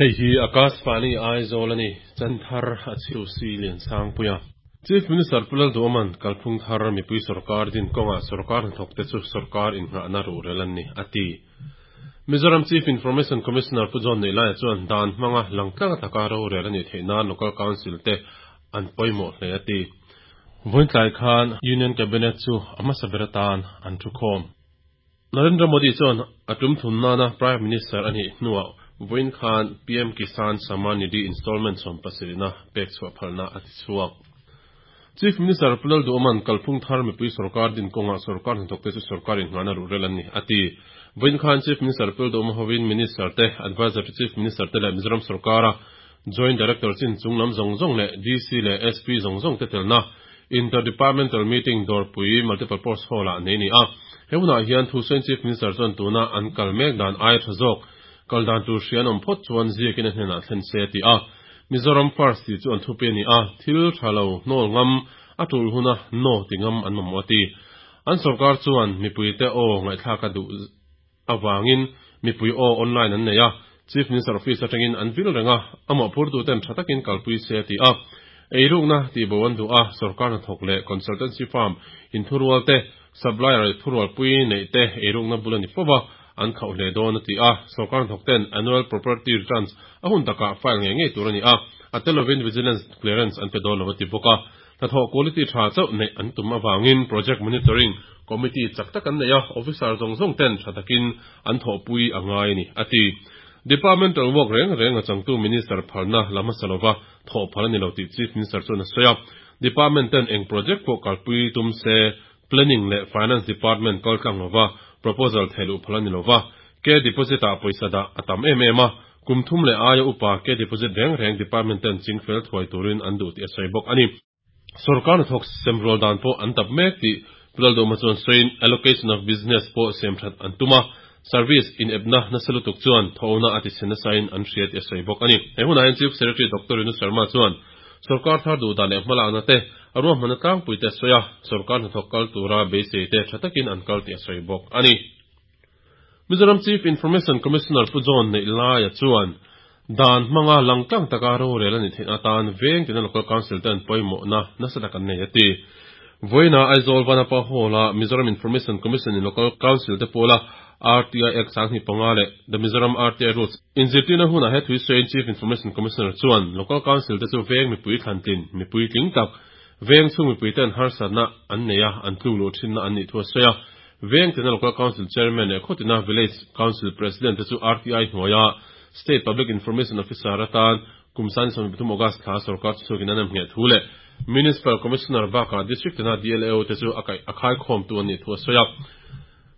Hei hi Akashvani Aizawl a ni, Chanthar a chhiu si Liansangpuia. Chief Minister Pu Lalduhawma'n kalphung thar mipui sorkar din kawngah sorkar hnathawkte chu sorkar innghahna ruhrel an ni, a ti. Mizoram Chief Information Commissioner Pu John Neihlaia chuan dan hmanga langtlang taka rorel a nih theih nan Local Council te an pawimawh hle a ti. Vawiintlai khan Union Cabinet chu a hmasa ber atan an thukhawm. Narendra Modi chuan a tum thum nana Prime Minister a nih hnuah vawiin khan PM Kisan Samman Nidhi installment 17na pek chhuah phalna a ti chhuak. Chief Minister Pu Lalduhawma'n kalphung thar mipui sorkar din kawngah sorkar hnathawkte chu sorkar innghahna ruhrel an ni, a ti. Vawiin khan Chief Minister Pu Lalduhawma hovin Minister te, Adviser to Chief Minister te leh Mizoram sorkara Joint Director chin chunglam zawng zawng leh DC leh SP zawng zawng te telna Inter-Departmental Meeting Dawrpui Multipurpose Hall-ah nei a ni a. He hunah hian Thusain Chief Minister chuan tuna an kal mek dan aia tha zawk kal dan tur hria an awm phawt chuan ziakin a hnenah thlen se a ti a. Mizoram First tih chu an thupi a ni a, thil tha lo hnawl ngam, a tul huna no ti ngam an mamawh a ti. An sorkar chuan mipuite aw ngaihthlak a duh avangin mipui aw online an nei a, Chief Minister Office atangin an vil reng a, a mawhphurtuten tha takin kalpui se a ti a. Eirukna tihbo an duh a, sorkar hnathawk leh consultancy firm inthurual te, supplier thurualpui neih te eirukna bul a ni fo va, an khauh hle dawn a ti a. Sorkar hnathawk ten annual property returns a hun takah file ngei ngei tur a ni a, a tel lovin vigilance clearance an pe dawn lo a ti bawk a. Hnathawh quality tha chauh neih an tum avangin Project Monitoring Committee chak tak an nei a, officer zawng zawng ten tha takin an thawhpui a ngai a ni, a ti. Departmental work reng reng a changtu Minister phalna la hmasa lova thawh phal a ni lo tih Chief Minister chuan a sawi a. Department ten eng project pawh kalpui tum se Planning leh Finance Department kal tlang lova proposal theih luh phal a ni lova, K deposit ah pawisa dah a tam em em a, kum thum leh aia upa K deposit reng reng department ten ching fel thuai turin an duh tih a sawi bawk a ni. Sorkar hnathawk semrual dan pawh an tap mek tih Pu Lalduhma chuan sawiin allocation of business pawh siam that an tum a, service inepna nasa lutuk chuan thawhna a ti chhe nasain an hria tih a sawi bawk a ni. He hunah hian Chief Secretary Doctor Rinu Sharma chuan sorkar thar duh dan leh hmalakna te a ruahmanna tlangpui te a sawi a, sorkar hnathawk kal tura beisei te tha takin an kal tih a sawi bawk a ni. Mizoram Chief Information Commissioner Pu John Neihlaia chuan dan hmanga langtlang taka rorel a nih theihna atan veng tina Local Council ten pawimawhna nasa tak an nei a ti. Vawiina Aizawl Vanapa Hall-a Mizoram Information Commission in Local Council te pawla RTI Act 2005 leh The Mizoram RTI Rules inzirtirna hunah he thuisawiin Chief Information Commissioner chuan Local Council te chu veng mipui thlantlin mipui tling tak veng chhung mipui ten harsatna an nei a an tluk luh thinna an nih thu a sawi a. Veng tina Local Council Chairman leh khawtina Village Council President te chu RTI hnuaia State Public Information Officer atan kum 2023 August thla sorkar chu chhuakin an em ngheh thu leh Municipal Commissioner bakah District tina DLAO te chu a kaih a khaikhawmtu an nih thu a sawi a.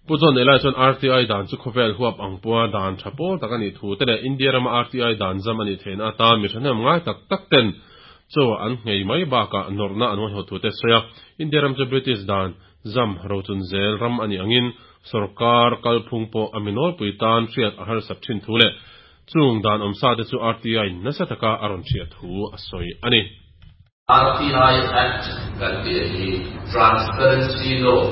Pu John Elai chuan RTI dan chu khawvel huap ang pua dan tha pawl tak a nih thu te leh India rama RTI dan zam a nih theihna atan mi thahnem ngai tak tak ten chaw an nghei mai bakah nawrhna an ngaihawt thu te a sawi a. India ram chu British dan Zam rochun zel ram a nih angin sorkar kalphung pawh a mi nawlpui tan hriat a harsat thin thu leh chung dan awmsa te chu RTI in nasa taka a rawn hriat thu a sawi a ni. RTI Act kan tih hi Transparency Law,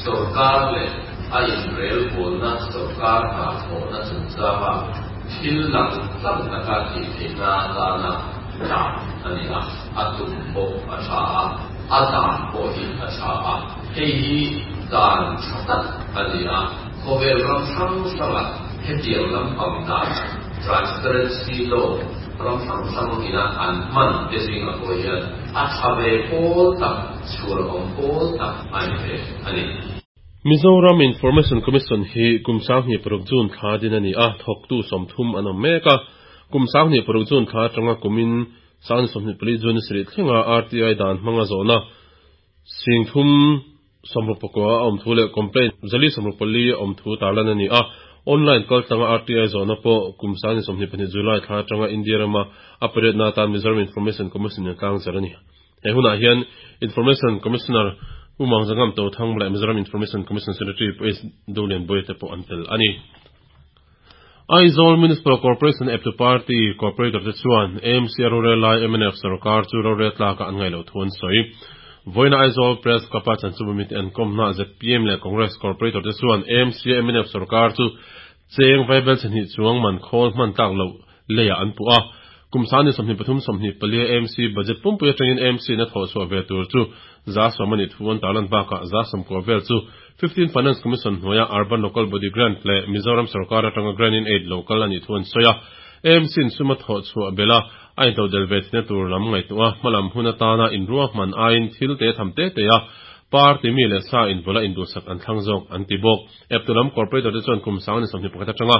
sorkar leh a inrelbawlna sorkar hna thawhna chungchanga thil lang tlang taka tih theihna atana dan a ni a, a tum pawh a tha a. A dan pawh hi a tha a, hei hi dan tha tak a ni a, khawvel ram hrang hrangah hetiang lampang dan, transparency law, ram hrang hrang ina an hman te zingah pawh hian a tha ve pawl tak, chhur awm pawl tak a ni ve a ni. Mizoram Information Commission hi kum 26 June thla din a ni a, thawktu 30 an awm mek a. Kum 26 June thla atanga kumin 2024 June sarih thlenga RTI dan hmanga zawhna 369 a awm thu leh complaint 424 a awm thu tarlan a ni a. Online kaltlanga RTI zawhna pawh kum 2024 July thla atanga India rama a pariatna atan Mizoram Information Commission in a tlangzar a ni. He hunah hian Information Commissioner Pu Mangzangam Tothang leh Mizoram Information Commission Secretary Pu S. Dolianbuaia te pawh an tel a ni. Aizawl Municipal Corporation eptu party corporator te chuan AMC a rorel lai mnf sarkar chu rorel tlakah an ngaih loh thu an sawi. Vawiina Aizawl Press Club-a chanchubamite an kawmnaah zpm leh Congress corporator te chuan AMC a mnf sarkar chu cheng vaibel chhe hnih chuang man khawl hman tlak loh. leiah an puh a. Kum 23 24 AMC budget pumpui atangin AMC in a thawhchhuah ve tur chu 10% a nih thu an tarlan bakah 90% vel chu Fifteenth Finance Commission hnuaia Urban Local Body Grant leh Mizoram sorkar atanga Grant-in-Aid lo kal a nih thu an sawi a. AMC in sum a thawhchhuah belh a, a intodelh ve theihna tur lam ngaihtuah a, hmalam hun atana inruahman aiin thil te tham te te a, party mi leh sa invawlh a induhsak an thlang zawk an ti bawk. Eptu lam corporator te chuan kum 2021 atanga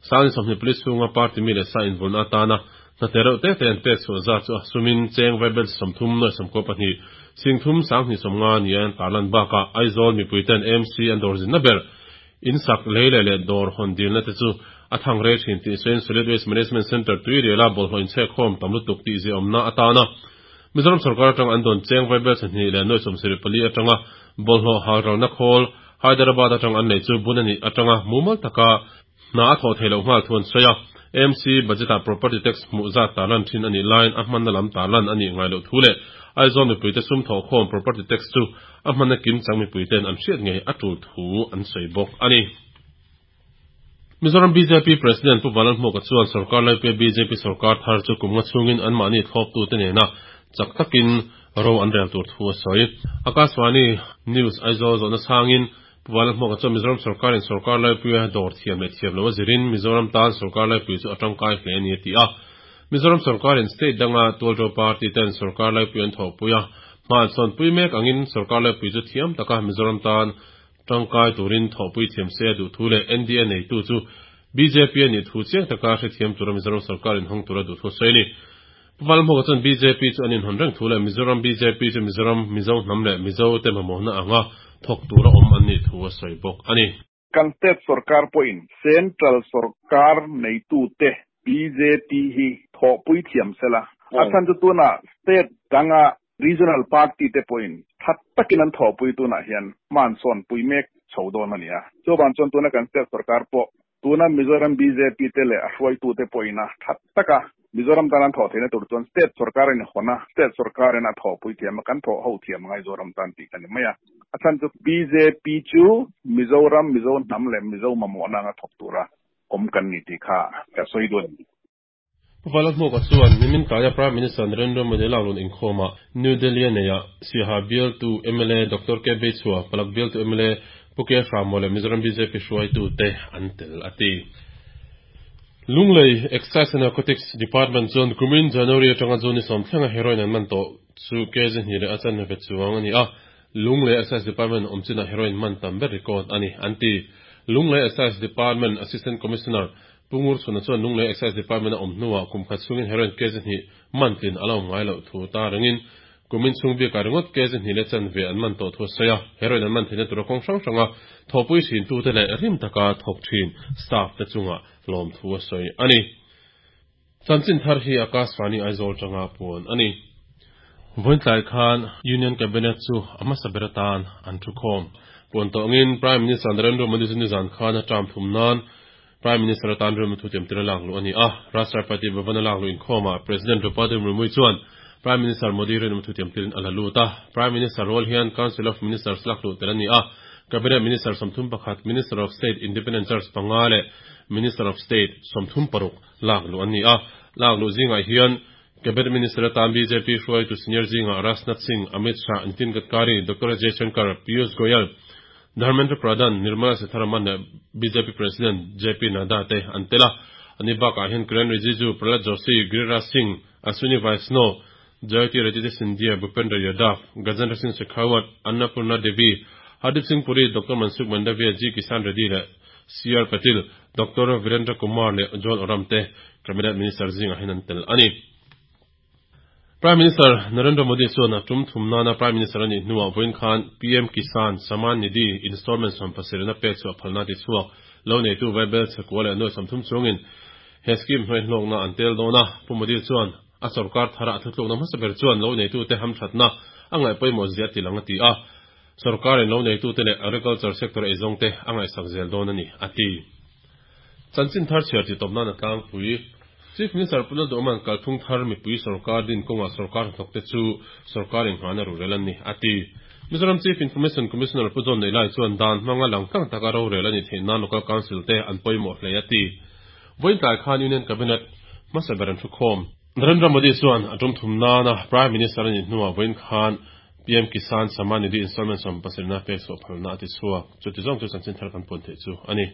24 chhunga party mi leh sa invawlhna atana hna te reuh te te an pek chhuah zat chu a sumin cheng vaibel 30 92 singthum 250 nia an tarlan bakah Aizawl mipuiten AMC an dawr zinna ber insak lei leh leh dawr hawn dilna te chu a thang rei thin tih sawiin Solid Waste Management Centre tuiriala bawlhhlawh inchhekkhawm tam lutuk tih ziaawmna atana Mizoram sorkar atanga an dawn cheng vaibel 2 74 atanga bawlhhlawh halralna khawl Hyderabad atang an nei chu bun a nih atanga mumal taka hna a thawh theih loh nghal thu an sawi a. AMC budget-ah property tax hmuh zat tarlan thin a nih laiin a hmanna lam tarlan a nih ngai loh thu leh Aizawl mipuite sum thawhkhawm property tax chu a hmanna kimchang mipuite'n an hriat ngei a tul thu an sawi bawk a ni. Mizoram bjp President Pu Vanlalhmuaka chuan sorkar laipuia bjp sorkar thar chu kum nga chhungin anmahni thlawptute nena chak takin ro an rel tur thu a sawi. Akashvani News Aizawl zawhna chhangin Pu Vanlalhmuaka chuan Mizoram sorkarin sorkar laipuia dawr thiam leh thiam lo a zirin Mizoram tan sorkar laipui chu a tangkai hle a ni a ti a. Mizoram sorkarin state danga tualto party ten sorkar laipui an thawhpui a, hma an sawnpui mek angin sorkar laipui chu thiam taka Mizoram tan tangkai turin thawhpui thiam se a duh thu leh NDA neitu chu bjp a nih thu chiang taka hrethiam tura Mizoram sorkarin hawng tura duh thu a sawi a ni. Pu Vanlalhmuaka chuan bjp chu an inhawn reng thu leh Mizoram bjp chu Mizoram, Mizo hnam leh Mizo te mamawhna anga thawk tura awm an nih thu a sawi bawk a ni. Kan state sorkar pawhin central sorkar neitute bjp hi thawhpui thiam sela, a chhan chu tunah state danga regional party te pawhin tha takin an thawhpui tunah hian hma an sawnpui mek chho dawn a ni a. Chuvang chuan tuna kan state sorkar pawh tuna Mizoram bjp te leh a hruaitute pawhin a tha taka Mizoram tan an thawh theihna tur chuan state sorkar in hawn a, state sorkar in a thawhpui thiam a, kan thawh ho thiam angai Zoram tan tih ka ni mai a. A chhan chu bjp chu Mizoram, Mizo hnam leh Mizo mamawhna anga thawk tura awm kan ni tih kha ka sawi duh a ni. Pu Vanlalhmuaka chuan nimin tlaia Prime Minister Narendra Modi laklun inkhawmah New Delhi a neihah Siaha bialtu mla Doctor K Beichhua, Palak bialtu mla Pu K Hramo leh Mizoram bjp hruaitute an tel a ti. Lunglei Excise and Narcotics Department chuan kumin January atanga June ni sawm thlenga heroin an man tawh chu kg hnih leh a chanve chuang a ni a, Lunglei Excise Department awm chinah heroin man tam ber record a ni, an ti. Lunglei Excise Department Assistant Commissioner Pu Ngurchhuna chuan Lunglei Excise Department a awm hnuah kum khat chhungin heroin kg hnih man tlin a la awm ngai loh thu ta rengin kumin chhung bikah ringawt kg hnih leh chanve an man tawh thu a sawi a, heroin an man theihna tura kawng hrang hranga thawhpui thintute leh rim taka thawk thin staff te chungah lawmthu a sawi a ni. Chanchin thar hi Akashvani Aizawl tanga puan a ni. Vawiintlai khan Union Cabinet chu a hmasa ber atan an thukhawm. Puan tawh angin Prime Minister Narendra Modi chu nizan khan a term thum nan Prime Minister atan rilru thu tiamtir a lak luh a ni a. Rashtrapati Bhavan a lak luh inkhawmah President Draupadi Murmu chuan Prime Minister Modi rinawm thu tiamtirin a la lut a. Prime Minister rual hian Council of Ministers lak luh tel a ni a. Cabinet Minister 31, Minister of State Independent Charge panga leh Minister of State 36 lak luh an ni a. Lak luh zingah hian Cabinet Minister atan bjp hruaitu senior zingah Rajnath Singh, Amit Shah, Nitin Gadkari, Doctor Jaishankar, Piyush Goyal, Dharmendra Pradhan, Nirmala Sitharaman leh bjp President JP Nadda te an tel a. Ani bakah hian Kiren Rijiju, Prahlad Joshi, Giriraj Singh, Ashwini Vaishnaw, Jyotiraditya Scindia, Bhupendra Yadav, Gajendra Singh Shekhawat, Annapurna Devi, Hardeep Singh Puri, Doctor Mansukh Mandaviya, G Kisan Reddy leh CR Patil, Doctor Virendra Kumar leh Juan Oram te Cabinet Minister zingah hian an tel a ni. Prime Minister Narendra Modi chuan a tum thum nana Prime Minister a nih hnuah vawiin khan PM Kisan Samman Nidhi installment 70na pek chu a phalna ti chhuak lo neitu Vaibel chhekua leh nuai 30 chungin he scheme hnuai hlawkna an tel dawn a. Pu Modi chuan a sorkar thara a thutlukna hmasa ber chuan lo neitute hamthatna a ngaih pawimawh zia a ti lang a ti a. Sorkarin lo neitute leh agriculture sector eizawngte a ngaihsak zel dawn a ni, a ti. Chanchin thar chhiar tih tawp nan a tlangpui. Chief Minister Pu Lalduhman kalphung thar mipui sorkar din kawngah sorkar hnathawkte chu sorkar inghahna rurel an ni, a ti. Mizoram Chief Information Commissioner Pu John Neilai chuan dan hmanga langtlang taka rorel a nih theih nan Local Council te an pawimawh hle, a ti. Vawiin tlai khan Union Cabinet Hmasa ber an thukhawm. Narendra Modi chuan a tum thum nana Prime Minister a nih hnuah vawiin khan PM Kisan Samman Nidhi installment 70 na pek chhuah phalna a ti chhuak. Chuti zawng chu chanchin thar kan puan theih chu a ni.